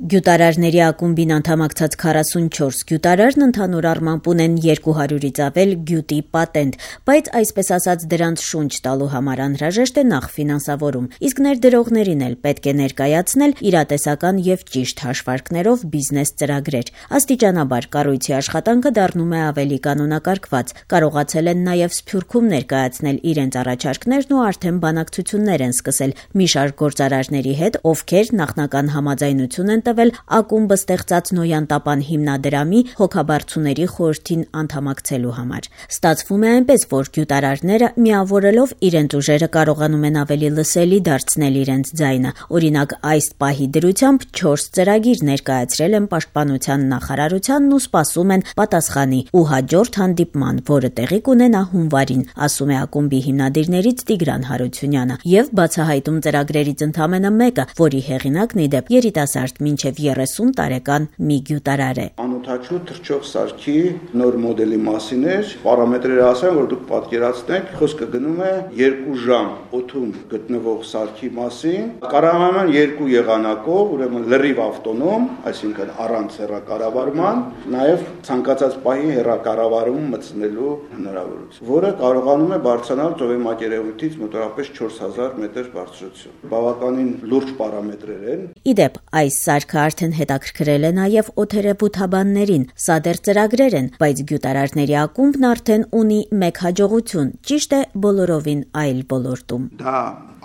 Գյուտարարների ակումբին անդամակցած 44 գյուտարարն ընդհանուր առմամբ ունեն 200-ից ավել գյուտի պատենտ, բայց այսպես ասած դրանց շունչ տալու համար անհրաժեշտ է նախ ֆինանսավորում, իսկ ներդրողներին էլ պետք է ներկայացնել իրատեսական եւ ճիշտ հաշվարկներով բիզնես ծրագրեր։ Աստիճանաբար կառույցի աշխատանքը դառնում է ավելի կանոնակարգված, կարողացել են նաեւ Սփյուռքում ներկայացնել իրենց առաջարկներն ու արդեն բանակցություններ են սկսել մի շարք գործարարների հետ, ովքեր նախնական համաձայնություն են տվել ակումբը ստեղծած Նոյան Տապան հիմնադրամի հոգաբարձուների խորհրդին անդամակցելու համար։ Ստացվում է այնպես, որ գյուտարարները միավորելով իրենց ուժերը կարողանում են ավելի լսելի դարձնել իրենց ձայնը։ Օրինակ, այս պահի դրությամբ 4 ծրագիր ներկայացրել են Պաշտպանության նախարարությանն ու սպասում են պատասխանի ու հաջորդ հանդիպման, որը տեղի կունենա հունվարին, ասում է ակումբի հիմնադիրներից Տիգրան Հարությունյանը, եւ բացահայտում ծրագրերից ընդամենը մեկը, որի հեղինակն ի դեպ երիտասարդ մինչև 30 տարեկան մի գյուտարար է։ Անօթաչու թռչող սարքի նոր մոդելի մասին էր, պարամետրերը ասեմ, որ դուք պատկերացնեք, խոսքը գնում է 2 ժամ օդում գտնվող սարքի մասին, կառավարման 2 եղանակով, ուրեմն լրիվ ավտոնոմ, այսինքն առանց հեռակառավարման, նաև ցանկացած պահի հեռակառավարում մտցնելու հնարավորություն, որը կարողանում է բարձրանալ ծովի մակերևույթից մոտավորապես 4000 մետր բարձրություն։ Բավականին լուրջ պարամետրեր են։ Ի դեպ, այս սարքը արդեն հետաքրքրել է նաև օդերևութաբաններին։ Սա դեռ ծրագրեր են, բայց գյուտարարների ակումբն արդեն ունի մեկ հաջողություն, ճիշտ է բոլորովին այլ ոլորտում։ Դա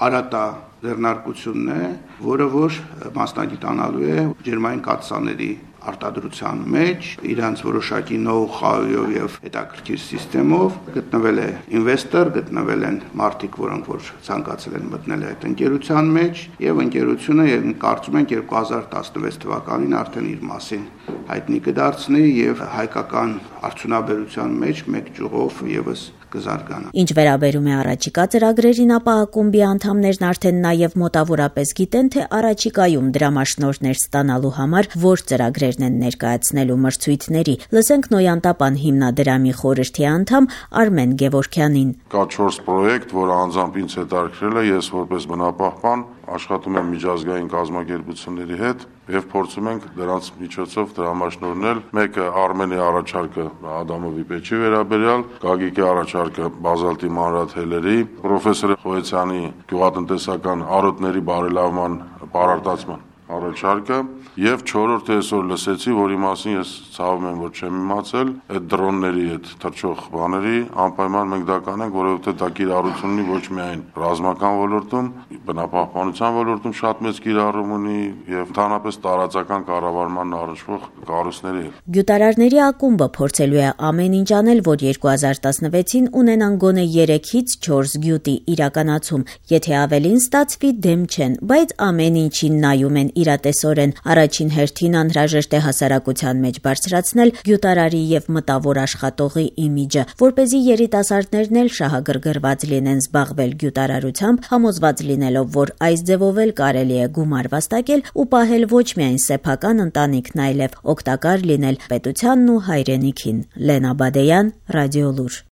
Արատա ձեռնարկությունն է, որը որ մասնագիտանալու է ջերմային կաթսաների արտադրության մեջ, իրանց որոշակի նոու-խաուով եւ հետաքրքիր համակարգով գտնվել է ինվեստոր, գտնվել են մարդիկ, որոնք որ ցանկացել են մտնել այդ ընկերության մեջ, եւ ընկերությունը կարծում ենք 2016 թվականին արդեն իր մասին հայտնի կդարձնի եւ հայկական արդյունաբերության մեջ մեկ ճյուղով եւս կզարգանա։ Ինչ վերաբերում է առաջիկա ծրագրերին, ապա ակումբի անդամներն արդեն նաև մոտավորապես գիտեն, թե առաջիկայում դրամաշնորհներ ստանալու համար որ ծրագրերն են ներկայացնելու մրցույթների։ Լսենք Նոյան Տապան հիմնադրամի խորհրդի անդամ Արմեն Գևորքյանին։ Կա 4 պրոյեկտ, որը անձամբ ինձ հետաքրքրել է, ես որպես բնապահպան աշխատում եմ միջազգային կազմակերպությունների հետ եւ փորձում ենք դրանց միջոցով դրամաշնորհնել։ Մեկը Արմենի առաջարկը Ադամովի պեչի վերաբերյալ, Գագիկի առաջարկը բազալտի մանրաթելերի, պրոֆեսոր Խոյցյանի գյուղատնտեսական արոտների բարելավման պարարտացման առաջարկը եւ 4-րդը այսօր լսեցի, որի մասին ես ցավում եմ, որ չեմ իմացել, այդ դրոնների այդ թռչող բաների անպայման մենք դա կանենք, որովհետեւ դա կիրառություն ունի ոչ միայն ռազմական ոլորտում, բնապահպանության ոլորտում շատ մեծ կիրառում ունի եւ ընդհանրապես տարածական կառավարման առնչվող կառույցների հետ։ Գյուտարարների ակումբը փորձելու է ամեն ինչ անել, որ 2016-ին ունենան գոնե 3-ից 4 գյուտի իրականացում, եթե ավելին ստացվի դեմ չեն, բայց ամեն ինչին նայում են իրատեսորեն։ Առաջին հերթին անհրաժեշտ է հասարակության մեջ բարձրացնել գյուտարարի եւ մտավոր աշխատողի իմիջը, որպեսզի երիտասարդներն էլ շահագրգռված լինեն զբաղվել գյուտարարությամբ, համոզված լինելով, որ այս ձևով էլ կարելի է գումար վաստակել ու պահել ոչ միայն սեփական ընտանիքն, այլև օգտակար լինել պետությանն ու հայրենիքին։ Լենա Բադեյան, Ռադիոլուր։